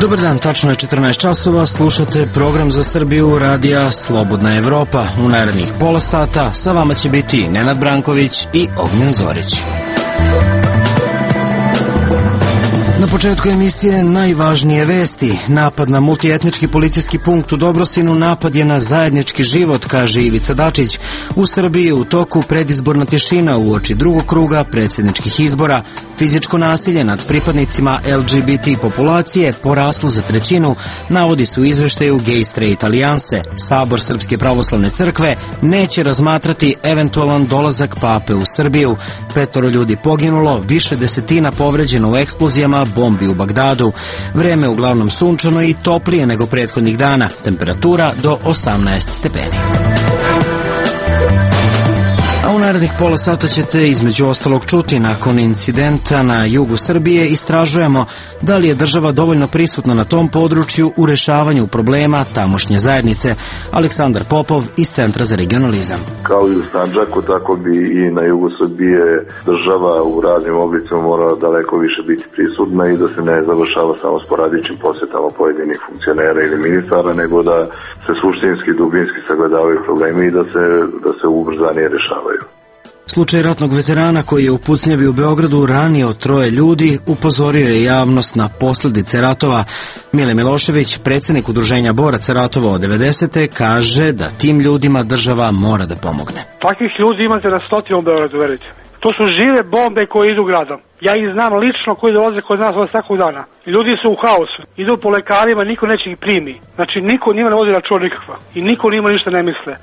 Dobar dan, tačno je 14 časova, slušate program za Srbiju radija Slobodna Evropa. U narednih pola sata sa vama će biti Nenad Branković i Ognjen Zorić. Na početku emisije najvažnije vesti. Napad na multietnički policijski punkt u Dobrosinu napad je na zajednički život, kaže Ivica Dačić. U Srbiji je u toku predizborna tišina uoči drugog kruga predsjedničkih izbora. Fizičko nasilje nad pripadnicima LGBT populacije poraslo za trećinu, navodi se u izveštaju Gay Straight Alijanse. Sabor Srpske pravoslavne crkve neće razmatrati eventualan dolazak pape u Srbiju. 5 ljudi poginulo, više desetina povređeno u eksplozijama bombi u Bagdadu. Vreme uglavnom sunčano i toplije nego prethodnih dana. Temperatura do 18 stepeni. A u narednih pola sata ćete između ostalog čuti, nakon incidenta na jugu Srbije istražujemo da li je država dovoljno prisutna na tom području u rešavanju problema tamošnje zajednice. Aleksandar Popov iz Centra za regionalizam. Kao i u Sandžaku, tako bi i na jugu Srbije država u raznim oblicima morala daleko više biti prisutna i da se ne završava samo sporadičnim posjetama pojedinih funkcionera ili ministara, nego da se suštinski, dubinski sagledavaju problemi i da se ubrzanije rešavaju. Slučaj ratnog veterana koji je u pucnjavi u Beogradu ranio 3 ljudi upozorio je javnost na posljedice ratova. Mile Milošević, predsjednik udruženja boraca ratova od 90. kaže da tim ljudima država mora da pomogne. Takvih ljudi imate na stotinu u Beogradu, verujte mi. To su žive bombe koje idu gradom. Ja ih znam lično koji dolaze kod nas od svakog dana. Ljudi su u haosu, idu po lekarima, niko neće ih primi. Znači niko njima ne vodi račun nikakva i niko njima ništa ne misle.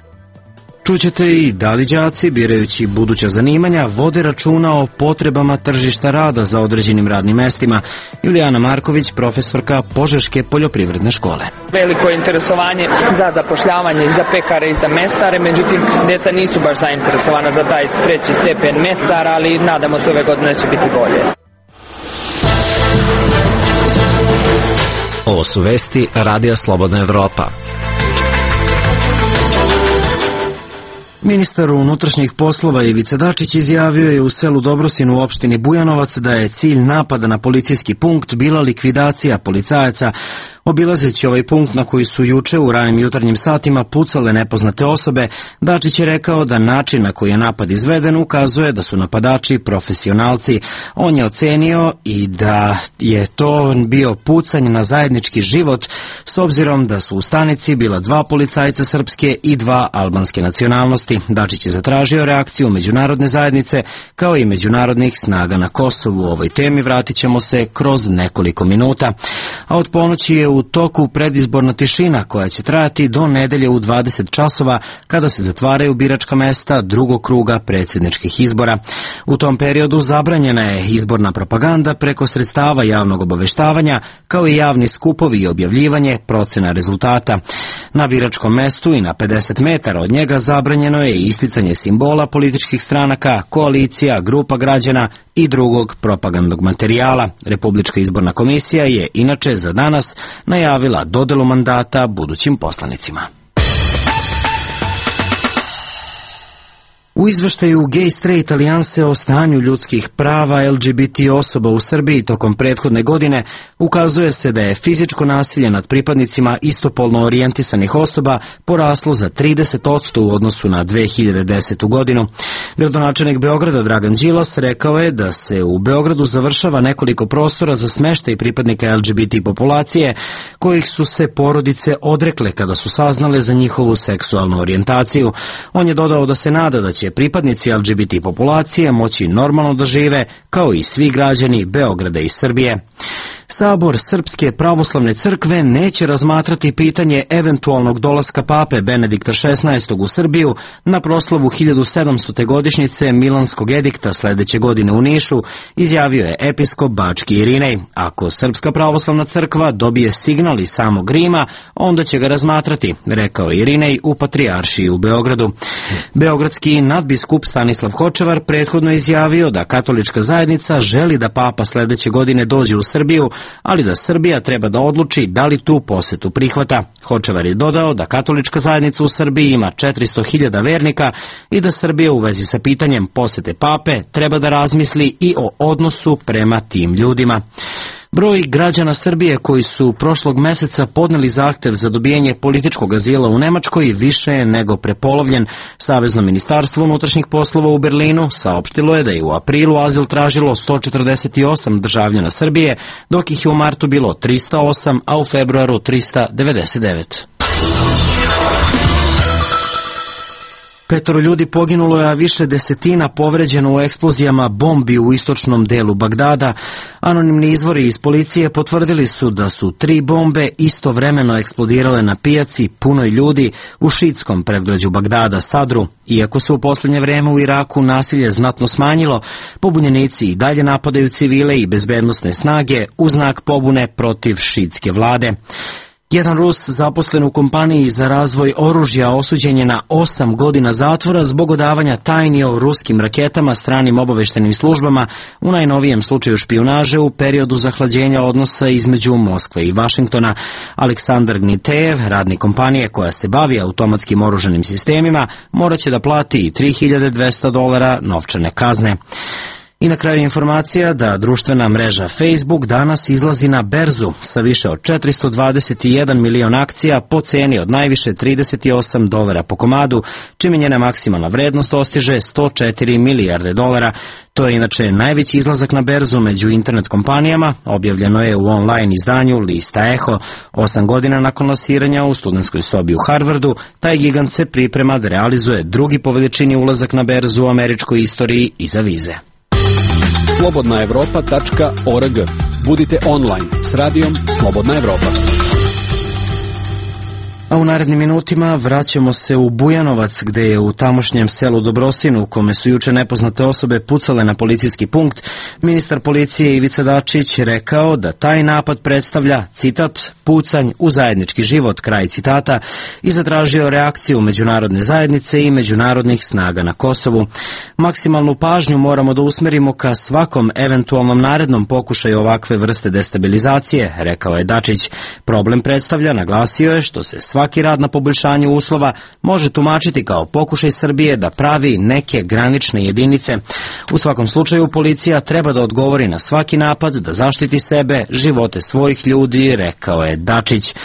Čućete i da li đaci, birajući buduća zanimanja, vode računa o potrebama tržišta rada za određenim radnim mestima. Julijana Marković, profesorka Požeške poljoprivredne škole. Veliko je interesovanje za zapošljavanje za pekare i za mesare, međutim, djeca nisu baš zainteresovana za taj 3. stepen mesara, ali nadamo se ove godine će biti bolje. Ovo su vesti Radija Slobodna Evropa. Ministar unutrašnjih poslova Ivica Dačić izjavio je u selu Dobrosinu u opštini Bujanovac da je cilj napada na policijski punkt bila likvidacija policajaca. Obilazeći ovaj punkt na koji su juče u ranim jutarnjim satima pucale nepoznate osobe, Dačić je rekao da način na koji je napad izveden ukazuje da su napadači profesionalci. On je ocenio i da je to bio pucanj na zajednički život, s obzirom da su u stanici bila 2 policajca srpske i 2 albanske nacionalnosti. Dačić je zatražio reakciju međunarodne zajednice kao i međunarodnih snaga na Kosovu. U ovoj temi vratit ćemo se kroz nekoliko minuta. A od ponoći je u toku predizborna tišina koja će trajati do nedelje u 20 časova kada se zatvaraju biračka mesta drugog kruga predsjedničkih izbora. U tom periodu zabranjena je izborna propaganda preko sredstava javnog obaveštavanja kao i javni skupovi i objavljivanje procena rezultata. Na biračkom mestu i na 50 metara od njega zabranjeno je isticanje simbola političkih stranaka, koalicija, grupa građana i drugog propagandnog materijala. Republička izborna komisija je inače za danas najavila dodelu mandata budućim poslanicima. U izveštaju Gay Straight Alijanse o stanju ljudskih prava LGBT osoba u Srbiji tokom prethodne godine ukazuje se da je fizičko nasilje nad pripadnicima istopolno orijentisanih osoba poraslo za 30% u odnosu na 2010. godinu. Gradonačelnik Beograda Dragan Đilas rekao je da se u Beogradu završava nekoliko prostora za smeštaj pripadnika LGBT populacije kojih su se porodice odrekle kada su saznale za njihovu seksualnu orijentaciju. On je dodao da se nada da će pripadnici LGBT populacije moći normalno da žive kao i svi građani Beograda i Srbije. Sabor Srpske pravoslavne crkve neće razmatrati pitanje eventualnog dolaska pape Benedikta XVI u Srbiju na proslavu 1700. godišnjice Milanskog edikta sledeće godine u Nišu, izjavio je episkop Bački Irinej. Ako Srpska pravoslavna crkva dobije signal iz samog Rima, onda će ga razmatrati, rekao Irinej u Patrijaršiji u Beogradu. Beogradski nadbiskup Stanislav Hočevar prethodno izjavio da katolička zajednica želi da papa sledeće godine dođe u Srbiju ali da Srbija treba da odluči da li tu posetu prihvata. Hočevar je dodao da katolička zajednica u Srbiji ima 400.000 vernika i da Srbija u vezi sa pitanjem posete pape treba da razmisli i o odnosu prema tim ljudima. Broj građana Srbije koji su prošlog meseca podneli zahtev za dobijanje političkog azila u Nemačkoj više je nego prepolovljen. Savezno ministarstvo unutrašnjih poslova u Berlinu saopštilo je da je u aprilu azil tražilo 148 državljana Srbije, dok ih je u martu bilo 308, a u februaru 399. 5 ljudi poginulo je, a više desetina povređeno u eksplozijama bombi u istočnom delu Bagdada. Anonimni izvori iz policije potvrdili su da su 3 bombe istovremeno eksplodirale na pijaci punoj ljudi u šiitskom predgrađu Bagdada, Sadru. Iako se u poslednje vreme u Iraku nasilje znatno smanjilo, pobunjenici i dalje napadaju civile i bezbednosne snage u znak pobune protiv šiitske vlade. Jedan Rus zaposlen u kompaniji za razvoj oružja osuđen je na 8 godina zatvora zbog odavanja tajni o ruskim raketama stranim obaveštenim službama u najnovijem slučaju špijunaže u periodu zahlađenja odnosa između Moskve i Vašingtona. Aleksandar Gnitejev, radnik kompanije koja se bavi automatskim oružanim sistemima, moraće da plati i $3.200 novčane kazne. I na kraju informacija da društvena mreža Facebook danas izlazi na berzu sa više od 421 milion akcija po ceni od najviše $38 po komadu, čime njena maksimalna vrednost dostiže $104 milijarde. To je inače najveći izlazak na berzu među internet kompanijama, objavljeno je u online izdanju lista Eho. 8 godina nakon lansiranja u studentskoj sobi u Harvardu, taj gigant se priprema da realizuje drugi po veličini ulazak na berzu u američkoj istoriji iza vize. slobodnaevropa.org. Budite online s radijom Slobodna Evropa. A u narednim minutima vraćamo se u Bujanovac, gde je u tamošnjem selu Dobrosinu, u kome su juče nepoznate osobe pucale na policijski punkt, ministar policije Ivica Dačić rekao da taj napad predstavlja, citat, pucanj u zajednički život, kraj citata, i zatražio reakciju međunarodne zajednice i međunarodnih snaga na Kosovu. Maksimalnu pažnju moramo da usmerimo ka svakom eventualnom narednom pokušaju ovakve vrste destabilizacije, rekao je Dačić. Problem predstavlja, naglasio je, što se svaki rad na poboljšanju uslova može tumačiti kao pokušaj Srbije da pravi neke granične jedinice. U svakom slučaju policija treba da odgovori na svaki napad, da zaštiti sebe, živote svojih ljudi, rekao je Dačić.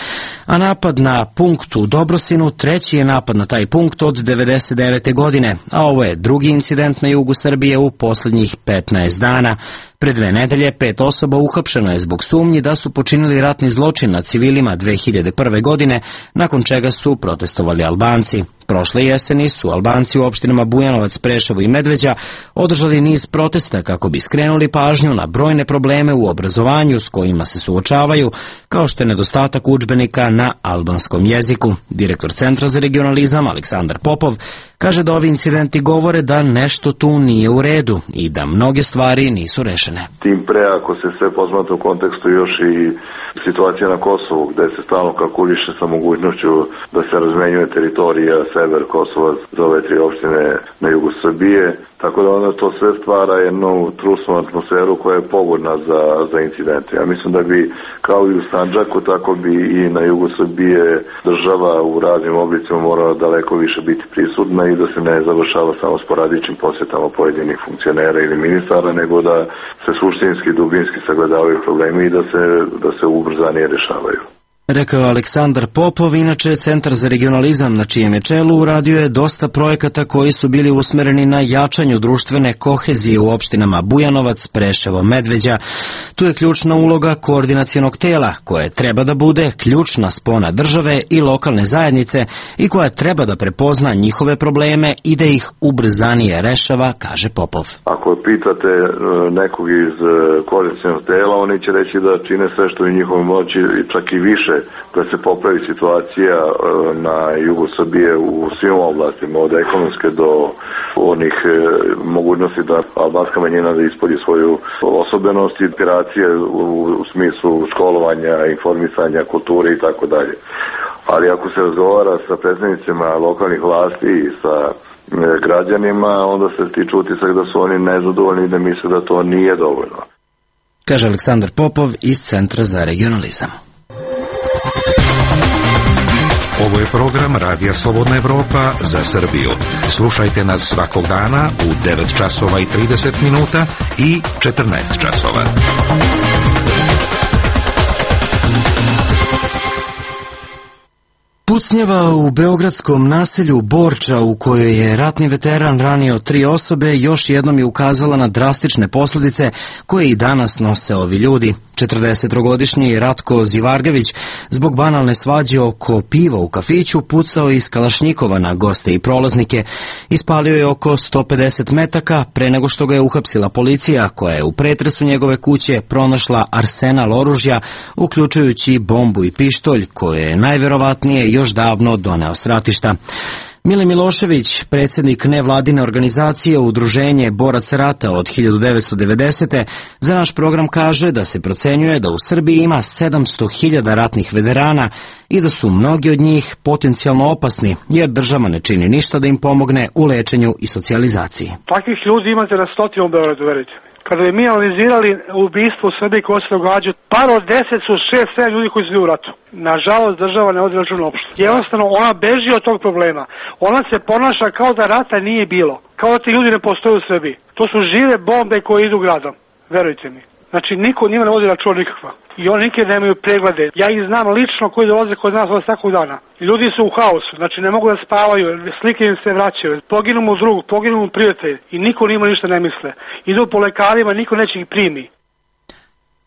A napad na punkt u Dobrosinu treći je napad na taj punkt od 1999. godine, a ovo je drugi incident na jugu Srbije u poslednjih 15 dana. Pre 2 nedelje 5 osoba uhapšeno je zbog sumnji da su počinili ratni zločin nad civilima 2001. godine, nakon čega su protestovali Albanci. Prošle jeseni su Albanci u opštinama Bujanovac, Preševo i Medveđa održali niz protesta kako bi skrenuli pažnju na brojne probleme u obrazovanju s kojima se suočavaju, kao što je nedostatak udžbenika na albanskom jeziku. Direktor Centra za regionalizam Aleksandar Popov kaže da ovi incidenti govore da nešto tu nije u redu i da mnoge stvari nisu rešene. Tim pre ako se sve posmatra u kontekstu još i situacija na Kosovu, gde se stalno kalkuliše sa mogućnošću da se razmenjuje teritorija sever Kosova za ove 3 opštine na jugu Srbije, tako da onda to sve stvara jednu trusnu atmosferu koja je pogodna za incidente. Ja mislim da bi kao i u Sandžaku, tako bi i na jugu Srbije država u raznim oblicima morala daleko više biti prisutna i da se ne završava samo sporadičnim posjetama pojedinih funkcionera ili ministara, nego da se suštinski i dubinski sagledavaju problemi i da se ubrzanije rešavaju. Rekao Aleksandar Popov. Inače, Centar za regionalizam na čijem je čelu uradio je dosta projekata koji su bili usmereni na jačanju društvene kohezije u opštinama Bujanovac, Preševo, Medveđa. Tu je ključna uloga koordinacionog tela, koje treba da bude ključna spona države i lokalne zajednice i koja treba da prepozna njihove probleme i da ih ubrzanije rešava, kaže Popov. Ako pitate nekog iz koordinacionog tela, oni će reći da čine sve što je u njihovoj moći, čak i više, da se popravi situacija na jugu Srbije u svim oblastima, od ekonomske do onih mogućnosti da albanska manjina da ispolji svoju osobenost i operacije u smislu školovanja, informisanja, kulture i tako dalje. Ali ako se razgovara sa predstavnicima lokalnih vlasti i sa građanima, onda se stiče utisak da su oni nezadovoljni i da misle da to nije dovoljno. kaže Aleksandar Popov iz Centra za regionalizam. Ovo je program Radija Slobodna Evropa za Srbiju. Slušajte nas svakog dana u 9 časova i 30 minuta i 14 časova. Pucnjava u beogradskom naselju Borča, u kojoj je ratni veteran ranio 3 osobe, još jednom je ukazala na drastične posljedice koje i danas nose ovi ljudi. 43-godišnji Ratko Zivargević zbog banalne svađe oko piva u kafiću pucao iz kalašnjikova na goste i prolaznike. Ispalio je oko 150 metaka pre nego što ga je uhapsila policija, koja je u pretresu njegove kuće pronašla arsenal oružja, uključujući bombu i pištolj, koje je najverovatnije još davno doneo s ratišta. Mile Milošević, predsjednik nevladine organizacije Udruženje boraca rata od 1990. za naš program kaže da se procenjuje da u Srbiji ima 700.000 ratnih veterana i da su mnogi od njih potencijalno opasni, jer država ne čini ništa da im pomogne u lečenju i socijalizaciji. Takvih ljudi imate na stotinu u Beogradu, verujte. Kada bi mi analizirali ubistvo u Srbiji koje se događa, par od 10 su 6-7 ljudi koji su bili u ratu. Nažalost, država ne vodi računa uopšte. Jednostavno, ona beži od tog problema. Ona se ponaša kao da rata nije bilo. Kao da ti ljudi ne postoje u Srbiji. To su žive bombe koje idu gradom. Verujte mi. Znači, niko njima ne vodi računa nikakva. I oni nikad nemaju preglede. Ja ih znam lično koji dolaze kod nas od svakog dana. I ljudi su u haosu, znači ne mogu da spavaju, slike im se vraćaju. Poginu mu drug, poginu mu prijatelj i niko njima ništa ne misle. Idu po lekarima, niko neće ih primi.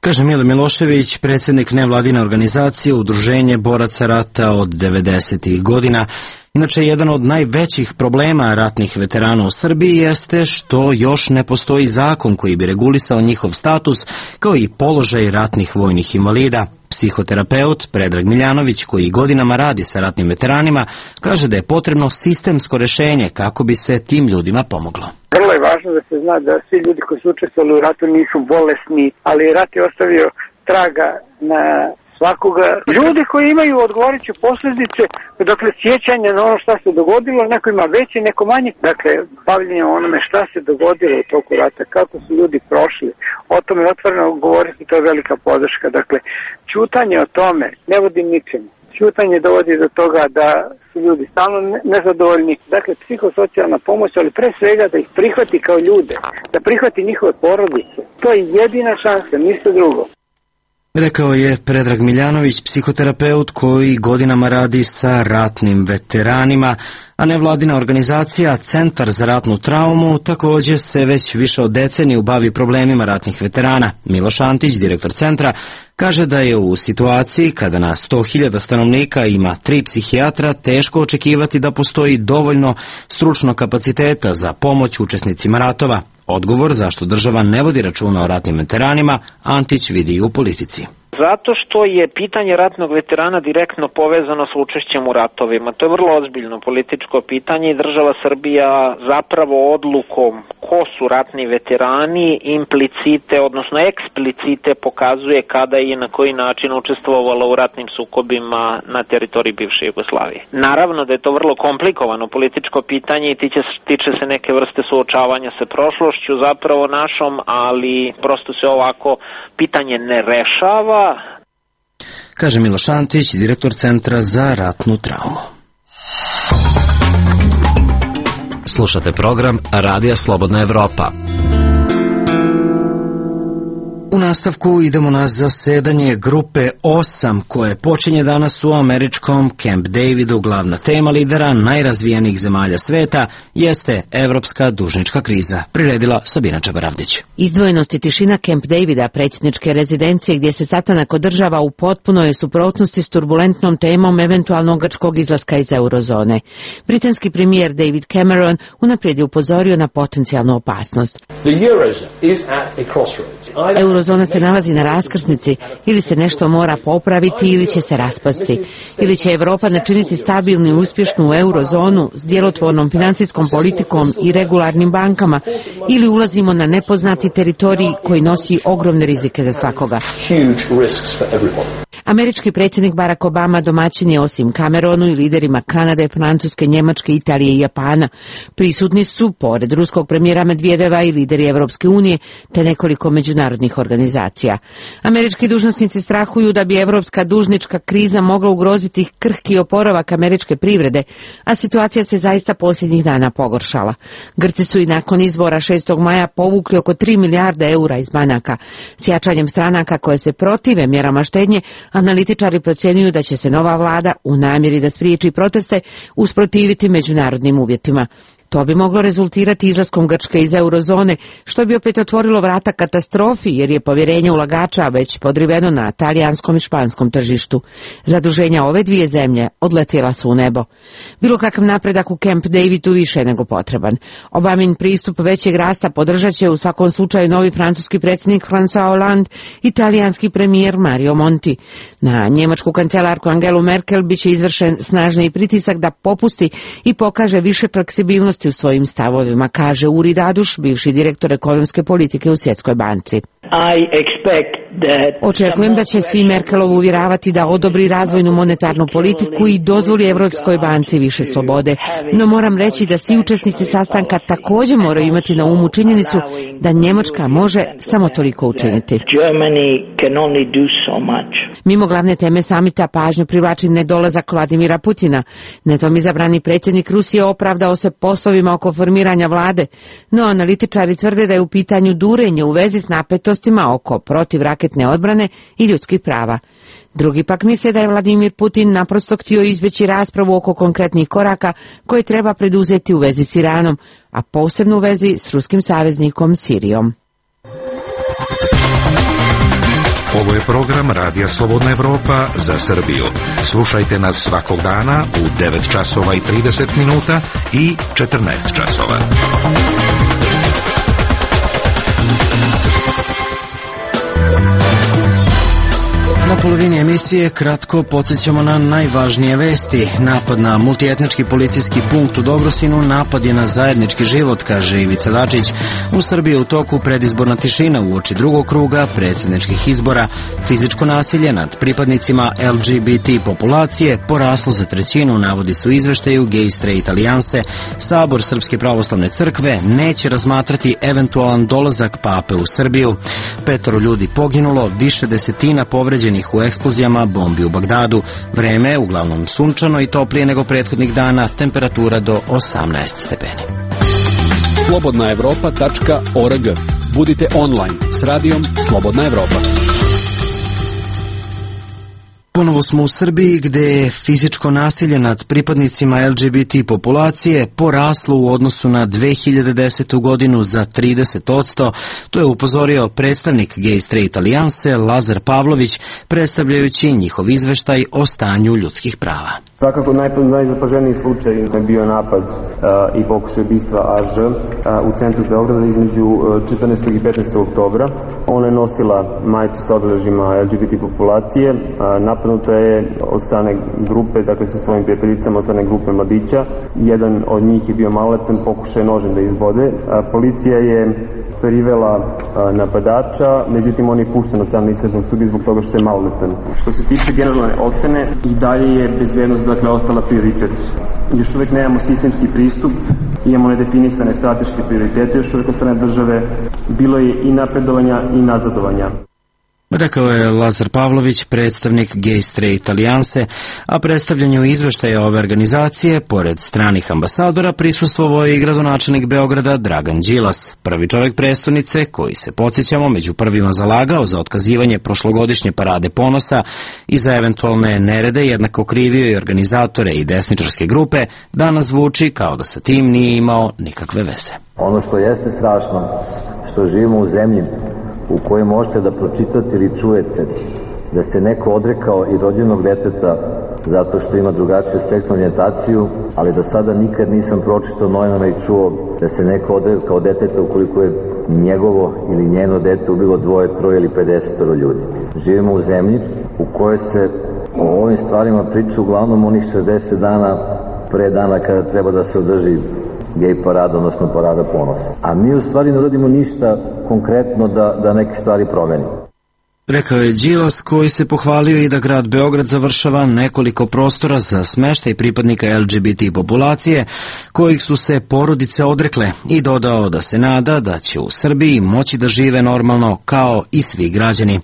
Kaže Mile Milošević, predsjednik nevladine organizacije Udruženje boraca rata od 90. godina. Inače, jedan od najvećih problema ratnih veterana u Srbiji jeste što još ne postoji zakon koji bi regulisao njihov status, kao i položaj ratnih vojnih invalida. Psihoterapeut Predrag Miljanović, koji godinama radi sa ratnim veteranima, kaže da je potrebno sistemsko rješenje kako bi se tim ljudima pomoglo. Vrlo je važno da se zna da svi ljudi koji su učestvovali u ratu nisu bolesni, ali rat je ostavio traga na svakoga. Ljudi koji imaju odgovarajuće posljedice, dakle sjećanje na ono šta se dogodilo, neko ima veće, neko manje. Dakle, bavljenje onome šta se dogodilo u toku rata, kako su ljudi prošli. O tome otvoreno govoriti, to je velika podrška. Dakle, ćutanje o tome ne vodi ničemu. Ćutanje dovodi do toga da su ljudi stalno nezadovoljni. Dakle, psihosocijalna pomoć, ali pre svega da ih prihvati kao ljude, da prihvati njihove porodice. To je jedina šansa, ništa drugo. Rekao je Predrag Miljanović, psihoterapeut koji godinama radi sa ratnim veteranima, a nevladina organizacija Centar za ratnu traumu također se već više od deceniju bavi problemima ratnih veterana. Miloš Antić, direktor centra, kaže da je u situaciji kada na 100.000 stanovnika ima 3 psihijatra teško očekivati da postoji dovoljno stručnog kapaciteta za pomoć učesnicima ratova. Odgovor zašto država ne vodi računa o ratnim veteranima Antić vidi i u politici. Zato što je pitanje ratnog veterana direktno povezano s učešćem u ratovima. To je vrlo ozbiljno političko pitanje i država Srbija zapravo odlukom ko su ratni veterani implicite, odnosno eksplicite pokazuje kada i na koji način učestvovala u ratnim sukobima na teritoriji bivše Jugoslavije. Naravno da je to vrlo komplikovano političko pitanje i tiče se neke vrste suočavanja sa prošlošću zapravo našom, ali prosto se ovako pitanje ne rešava. Kaže Miloš Antić, direktor Centra za ratnu traumu. Slušate program Radija Slobodna Evropa. U nastavku idemo na zasedanje grupe 8 koje počinje danas u američkom Camp Davidu. Glavna tema lidera najrazvijenijih zemalja sveta jeste evropska dužnička kriza. Priredila Sabina Čabaravdić. Izdvojenost i tišina Camp Davida, predsjedničke rezidencije gdje se sastanak održava, u potpunoj suprotnosti s turbulentnom temom eventualnog grčkog izlaska iz eurozone. Britanski premijer David Cameron unaprijed je upozorio na potencijalnu opasnost. Eurozona se nalazi na raskrsnici, ili se nešto mora popraviti ili će se raspasti. Ili će Evropa načiniti stabilnu i uspješnu eurozonu s djelotvornom finansijskom politikom i regularnim bankama, ili ulazimo na nepoznati teritorij koji nosi ogromne rizike za svakoga. Američki predsjednik Barack Obama domaćin je osim Cameronu i liderima Kanade, Francuske, Njemačke, Italije i Japana. Prisutni su, pored ruskog premijera Medvedeva, i lideri Evropske unije, te nekoliko međunarodnih međunarodnih organizacija. Američki dužnosnici strahuju da bi evropska dužnička kriza mogla ugroziti krhki oporavak američke privrede, a situacija se zaista posljednjih dana pogoršala. Grci su i nakon izbora 6. maja povukli oko 3 milijarde eura iz banaka. S jačanjem stranaka koje se protive mjerama štednje, analitičari procjenjuju da će se nova vlada u namjeri da spriječi proteste usprotiviti međunarodnim uvjetima. To bi moglo rezultirati izlaskom Grčke iz eurozone, što bi opet otvorilo vrata katastrofi, jer je povjerenje ulagača već podriveno na talijanskom i španskom tržištu. Zaduženja ove dvije zemlje odletjela su u nebo. Bilo kakav napredak u Camp Davidu više je nego potreban. Obamin pristup većeg rasta podržat će u svakom slučaju novi francuski predsjednik François Hollande i talijanski premijer Mario Monti. Na njemačku kancelarku Angelu Merkel biće izvršen snažni pritisak da popusti i pokaže više fleksibilnosti u svojim stavovima, kaže Uri Daduš, bivši direktor ekonomske politike u Svjetskoj banci. Očekujem da će svi Merkelovu uvjeravati da odobri razvojnu monetarnu politiku i dozvoli Europskoj banci više slobode. No moram reći da svi učesnici sastanka također moraju imati na umu činjenicu da Njemačka može samo toliko učiniti. Mimo glavne teme samita pažnju privlači nedolazak Vladimira Putina. Netom izabrani predsjednik Rusije opravdao se poslovima oko formiranja vlade, no analitičari tvrde da je u pitanju durenje u vezi s napetostima oko protivraketne odbrane i ljudskih prava. Drugi pak misle da je Vladimir Putin naprosto htio izbjeći raspravu oko konkretnih koraka koje treba preduzeti u vezi s Iranom, a posebno u vezi s ruskim saveznikom Sirijom. Ovo je program Radija Slobodna Evropa za Srbiju. Slušajte nas svakog dana u 9 časova i 30 minuta i 14 časova. Na polovini emisije kratko podsjećamo na najvažnije vesti. Napad na multietnički policijski punkt u Dobrosinu napad je na zajednički život, kaže Ivica Dačić. U Srbiji je u toku predizborna tišina uoči drugog kruga predsjedničkih izbora. Fizičko nasilje nad pripadnicima LGBT populacije poraslo za trećinu, navodi su izveštaju Gay Straight Alijanse. Sabor Srpske pravoslavne crkve neće razmatrati eventualan dolazak pape u Srbiju. 5 ljudi poginulo, više desetina povređenih u eksplozijama bombi u Bagdadu. Vreme je uglavnom sunčano i toplije nego prethodnih dana, temperatura do 18 stepeni. slobodnaevropa.org. Budite online s radijom Slobodna Evropa. Ponovo smo u Srbiji, gde je fizičko nasilje nad pripadnicima LGBT populacije poraslo u odnosu na 2010. godinu za 30%. To je upozorio predstavnik Gay Straight Alijanse Lazar Pavlović, predstavljajući njihov izveštaj o stanju ljudskih prava. Svakako najzapaženiji slučaj je bio napad i pokušaj ubistva AŽ u centru Beograda između 14. i 15. oktobra. Ona je nosila majicu sa obeležjima LGBT populacije. Napadnuta je od strane grupe, dakle sa svojim prijateljicama, od strane grupe mladića. Jedan od njih je bio maloletan, pokušaj nožem da izbode. Policija je privela napadača, međutim on je pušten od strane istražnog sudije zbog toga što je maloletan. Što se tiče generalne ocene, i dalje je bezbednost ostala prioritet. Još uvijek nemamo sistemski pristup, imamo nedefinisane strateške prioritete još uvijek od strane države, bilo je i napredovanja i nazadovanja. Rekao je Lazar Pavlović, predstavnik Gay Straight Alijanse, a predstavljanju izveštaja ove organizacije, pored stranih ambasadora, prisustvovao je i gradonačelnik Beograda Dragan Đilas, prvi čovjek prestonice koji se, podsjećamo, među prvima zalagao za otkazivanje prošlogodišnje parade ponosa i za eventualne nerede, jednako krivio i organizatore i desničarske grupe, danas zvuči kao da sa tim nije imao nikakve veze. Ono što jeste strašno, što živimo u zemlji u kojoj možete da pročitate ili čujete da se neko odrekao i rođenog deteta zato što ima drugačiju seksualnu orijentaciju, ali do sada nikad nisam pročitao novinama i čuo da se neko odrekao deteta ukoliko je njegovo ili njeno dete ubilo 2, 3 ili 50 ljudi. Živimo u zemlji u kojoj se o ovim stvarima priča uglavnom onih 60 dana pre dana kada treba da se održi gej parada, odnosno parada ponosa. A mi u stvari ne radimo ništa konkretno da neke stvari promenimo. Rekao je Đilas, koji se pohvalio i da grad Beograd završava nekoliko prostora za smeštaj pripadnika LGBT populacije, kojih su se porodice odrekle, i dodao da se nada da će u Srbiji moći da žive normalno kao i svi građani.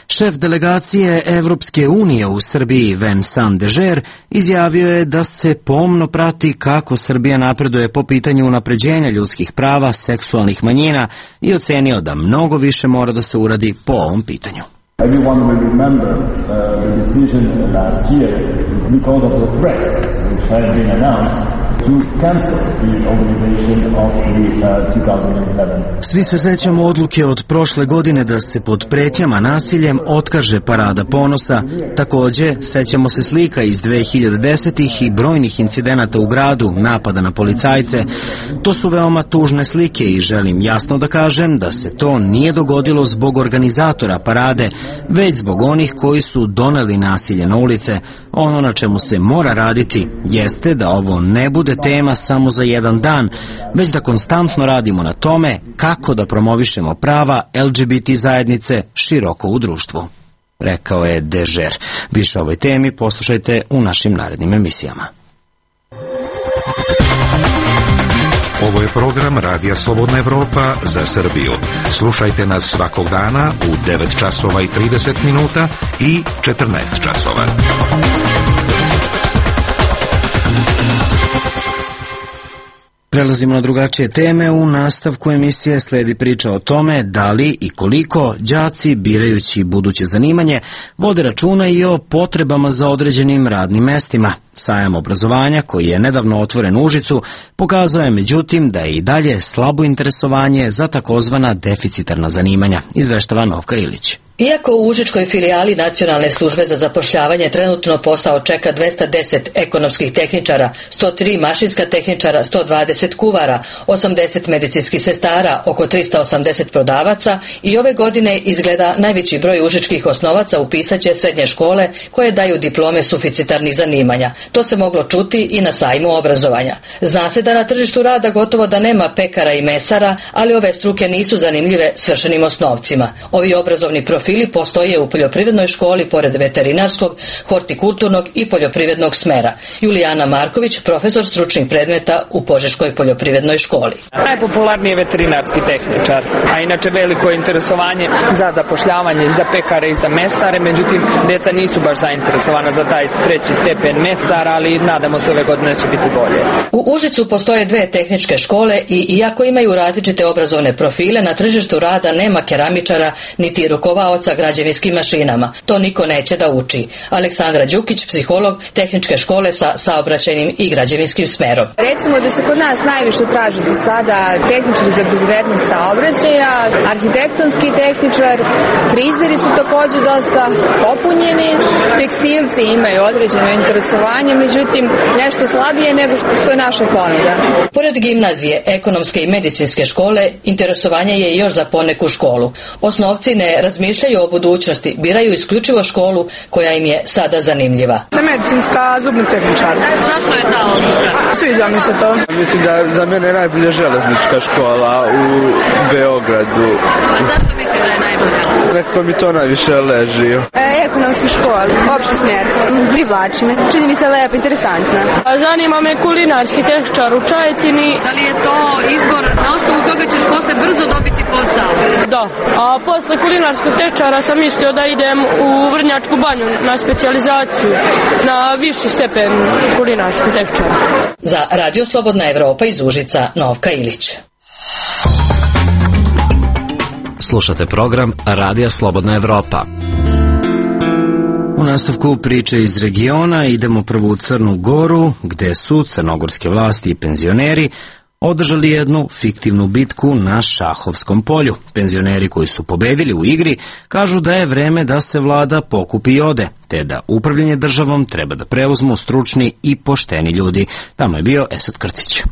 Šef delegacije Evropske unije u Srbiji, Vincent Dežer, izjavio je da se pomno prati kako Srbija napreduje po pitanju unapređenja ljudskih prava seksualnih manjina i ocenio da mnogo više mora da se uradi po ovom pitanju. Everyone will remember the decision last year because of the threats which have been announced to cancel the organization of the 2011. Svi se sećamo odluke od prošle godine da se pod pretnjama nasiljem otkaže Parada ponosa. Takođe, sećamo se slika iz 2010-ih i brojnih incidenata u gradu, napada na policajce. To su veoma tužne slike i želim jasno da kažem da se to nije dogodilo zbog organizatora parade, već zbog onih koji su doneli nasilje na ulice. Ono na čemu se mora raditi jeste da ovo ne bude tema samo za jedan dan, već da konstantno radimo na tome kako da promovišemo prava LGBT zajednice široko u društvu, rekao je Dežer. Više o ovoj temi poslušajte u našim narednim emisijama. Ovo je program Radija Slobodna Evropa za Srbiju. Slušajte nas svakog dana u 9 časova i 30 minuta i 14 časova. Prelazimo na drugačije teme. U nastavku emisije sledi priča o tome da li i koliko đaci, birajući buduće zanimanje, vode računa i o potrebama za određenim radnim mestima. Sajam obrazovanja, koji je nedavno otvoren u Užicu, pokazao je međutim da je i dalje slabo interesovanje za takozvana deficitarna zanimanja, izveštava Novka Ilić. Iako u užičkoj filijali Nacionalne službe za zapošljavanje trenutno posao čeka 210 ekonomskih tehničara, 103 mašinska tehničara, 120 kuvara, 80 medicinskih sestara, oko 380 prodavaca, i ove godine izgleda najveći broj užičkih osnovaca upisaće srednje škole koje daju diplome suficitarnih zanimanja. To se moglo čuti i na sajmu obrazovanja. Zna se da na tržištu rada gotovo da nema pekara i mesara, ali ove struke nisu zanimljive svršenim osnovcima. Ovi obrazovni profili postoje u poljoprivrednoj školi pored veterinarskog, hortikulturnog i poljoprivrednog smera. Julijana Marković, profesor stručnih predmeta u Požeškoj poljoprivrednoj školi. Najpopularniji je veterinarski tehničar, a inače veliko interesovanje za zapošljavanje za pekare i za mesare, međutim deca nisu baš zainteresovana za taj treći stepen mesara, ali nadamo se ove godine će biti bolje. U Užicu postoje dve tehničke škole i iako imaju različite obrazovne profile, na tržištu rada nema keramičara niti rukovaoca građevinskim mašinama. To niko neće da uči. Aleksandra Đukić, psiholog tehničke škole sa saobraćajnim i građevinskim smerom. Recimo da se kod nas najviše traži za sada tehničar za bezbednost saobraćaja, arhitektonski tehničar, frizeri su takođe dosta popunjeni, tekstilci imaju određeno interesovanje, međutim nešto slabije nego što je naša ponuda. Pored gimnazije, ekonomske i medicinske škole, interesovanje je još za poneku školu. Osnovci ne razmišljaju o budućnosti, biraju isključivo školu koja im je sada zanimljiva. Za medicinska zubni tehničar. Zašto je ta odluka? Sviđa mi se to. Mislim da za mene je najbolja železnička škola u Beogradu. A zašto misli da je najbolja? Nekako mi to najviše leži. Ekonomska škola, opšti smjer, privlači me. Čini mi se lepo, interesantna. Zanima me kulinarski tehničar u Čajetini. Da li je to izbor na osnovu koga ćeš posle brzo dobiti posao? Da, a posle kulinarskog tehničara sam mislio da idem u Vrnjačku banju na specijalizaciju, na viši stepen kulinarskog tehničara. Za Radio Slobodna Evropa iz Užica, Novka Ilić. Slušate program Radija Slobodna Evropa. U nastavku priče iz regiona idemo prvo u Crnu Goru, gde su crnogorske vlasti i penzioneri održali jednu fiktivnu bitku na šahovskom polju. Penzioneri koji su pobedili u igri kažu da je vreme da se vlada pokupi i ode, te da upravljanje državom treba da preuzmu stručni i pošteni ljudi. Tamo je bio Esad Krcić.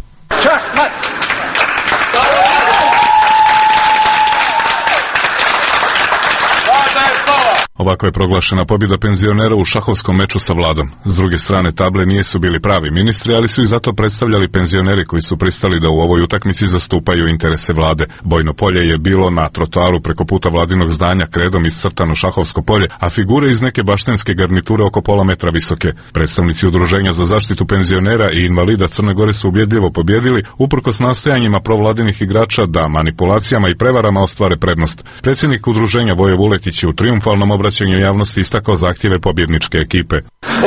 Ovako je proglašena pobjeda penzionera u šahovskom meču sa vladom. S druge strane table nisu bili pravi ministri, ali su ih zato predstavljali penzioneri koji su pristali da u ovoj utakmici zastupaju interese vlade. Bojno polje je bilo na trotoaru preko puta vladinog zdanja, kredom iscrtano šahovsko polje, a figure iz neke baštenske garniture oko pola metra visoke. Predstavnici Udruženja za zaštitu penzionera i invalida Crne Gore su ubjedljivo pobjedili, uprkos nastojanjima provladinih igrača da manipulacijama i prevarama ostvare prednost. Predsjednik udruženja Voje Vuletić je u triumfalnom obraćanju javnosti istakao zahtjeve pobjedničke ekipe.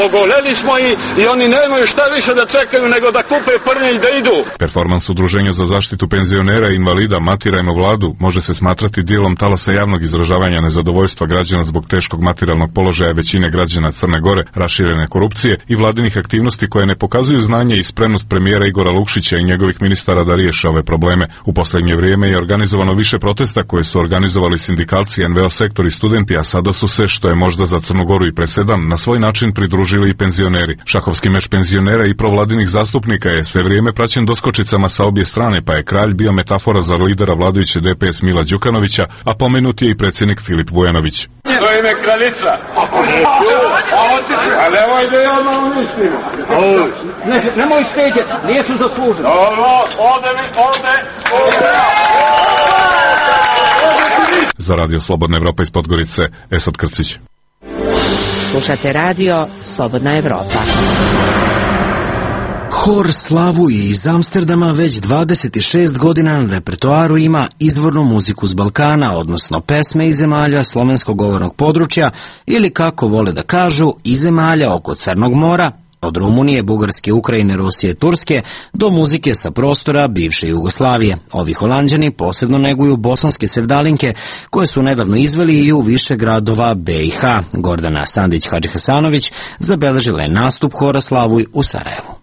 Ogoleli smo i oni nemaju šta više da čekaju nego da kupe prnje i da idu. Performans Udruženja za zaštitu penzionera i invalida Matirajmo vladu može se smatrati dijelom talasa javnog izražavanja nezadovoljstva građana zbog teškog materijalnog položaja većine građana Crne Gore, raširene korupcije i vladinih aktivnosti koje ne pokazuju znanje i spremnost premijera Igora Lukšića i njegovih ministara da riješe ove probleme. U posljednje vrijeme je organizovano više protesta koje su organizovali sindikalci, NVO sektor i studenti, a sada su se, što je možda za Crnu Goru i presedan, na svoj način pridružili i penzioneri. Šahovski meč penzionera i provladinih zastupnika je sve vrijeme praćen doskočicama sa obje strane, pa je kralj bio metafora za lidera vladajuće DPS Mila Đukanovića, a pomenut je i predsjednik Filip Vujanović. To je kraljica. A nemoj da ja malo mislimo. Nemoj steđeti, nijesu zaslužili. Ode. Za Radio Slobodna Evropa iz Podgorice, Esad Krcić. Slušate radio Slobodna Evropa. Hor Slavuj iz Amsterdama već 26 godina na repertoaru ima izvornu muziku s Balkana, odnosno pesme iz zemalja slovenskog govornog područja ili, kako vole da kažu, iz zemalja oko Crnog mora, od Rumunije, Bugarske, Ukrajine, Rusije, Turske, do muzike sa prostora bivše Jugoslavije. Ovi Holanđani posebno neguju bosanske sevdalinke, koje su nedavno izveli i u više gradova BiH. Gordana Sandić-Hadžihasanović zabeležila je nastup Hora Slavuj u Sarajevu.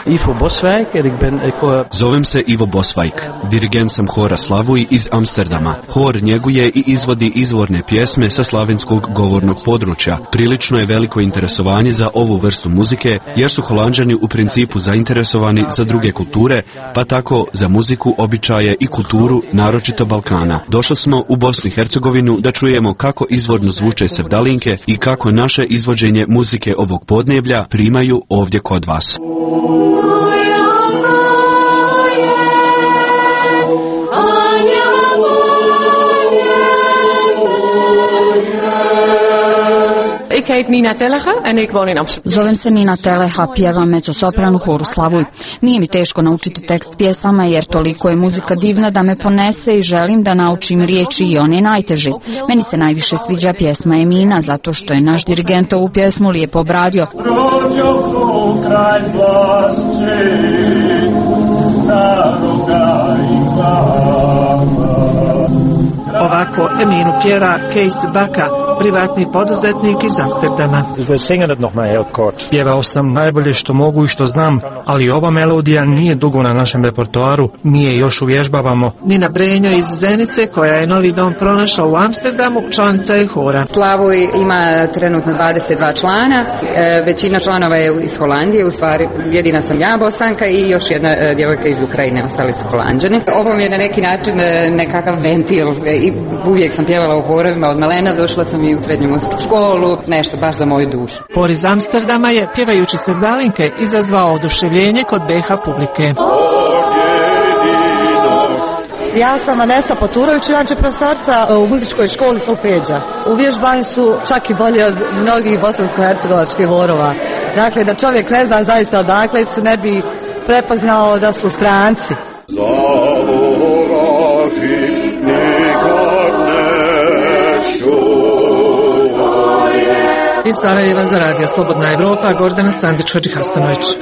Ivo Boswijk en ik ben... Zovem se Ivo Boswijk, dirigent sam Hora Slavuj iz Amsterdama. Hor njeguje i izvodi izvorne pjesme sa slavenskog govornog područja. Prilično je veliko interesovanje za ovu vrstu muzike, jer su Holanđani u principu zainteresovani za druge kulture, pa tako za muziku, običaje i kulturu, naročito Balkana. Došli smo u Bosnu i Hercegovinu da čujemo kako izvorno zvuče sevdalinke i kako naše izvođenje muzike ovog podneblja primaju ovdje kod vas. Ik heet Nina Tellega en ik woon in Amsterdam. Zovem se Nina Teleha, pjevam mezzosopranu Horu Slavuj. Nije mi teško naučiti tekst pjesama jer toliko je muzika divna da me ponese i želim da naučim riječi i one najteže. Meni se najviše sviđa pjesma Emina zato što je naš dirigent ovu pjesmu lijepo obradio. Kraj vlasti, staroga i Ovako Eminu pjeva Kees Baka, privatni poduzetnik iz Amsterdama. Pjevao sam najbolje što mogu i što znam, ali ova melodija nije dugo na našem repertoaru, mi je još uvježbavamo. Nina Brenjo iz Zenice, koja je novi dom pronašla u Amsterdamu, članica je hora. Slavuj ima trenutno 22 člana, većina članova je iz Holandije, u stvari jedina sam ja Bosanka i još jedna djevojka iz Ukrajine, ostali su Holanđani. Ovo mi je na neki način nekakav ventil i uvijek sam pjevala u horovima od malena, došla sam i u srednju muzičku školu, nešto baš za moju dušu. Hor iz Amsterdama je, pjevajući sevdalinke, izazvao oduševljenje kod BiH publike. Ja sam Vanessa Poturović, inače profesorca u muzičkoj školi solfeđa. Uvježbani su čak i bolje od mnogih bosansko-hercegovačkih horova. Dakle, da čovjek ne zna zaista odakle su, ne bi prepoznao da su stranci. Iz Sarajeva za Radio Slobodna Evropa, Gordana Sandić-Hadžihasanović.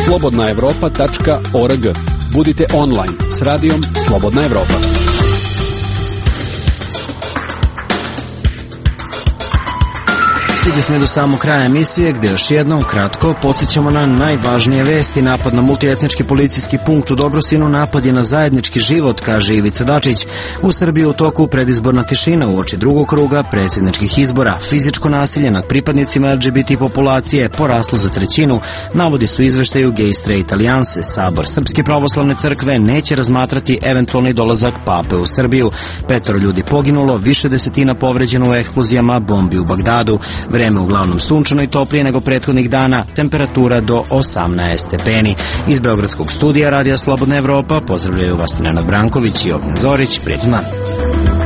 slobodnaevropa.org. Budite online s radijom Slobodna Evropa. Stigli smo do samog kraja emisije gde još jednom kratko podsjećamo na najvažnije vesti. Napad na multietnički policijski punkt u Dobrosinu napad je na zajednički život, kaže Ivica Dačić. U Srbiji u toku predizborna tišina uoči drugog kruga predsjedničkih izbora. Fizičko nasilje nad pripadnicima LGBT populacije poraslo za 1/3, navodi su izveštaju Gay Straight Alijanse. Sabor Srpske pravoslavne crkve neće razmatrati eventualni dolazak pape u Srbiju. 5 ljudi poginulo, više desetina povređeno u eksplozijama bombi u Bagdadu. Vreme uglavnom sunčano i toplije nego prethodnih dana, temperatura do 18 stepeni. Iz Beogradskog studija Radija Slobodna Evropa pozdravljaju vas Nenad Branković i Ognjen Zorić. Prijetan dan.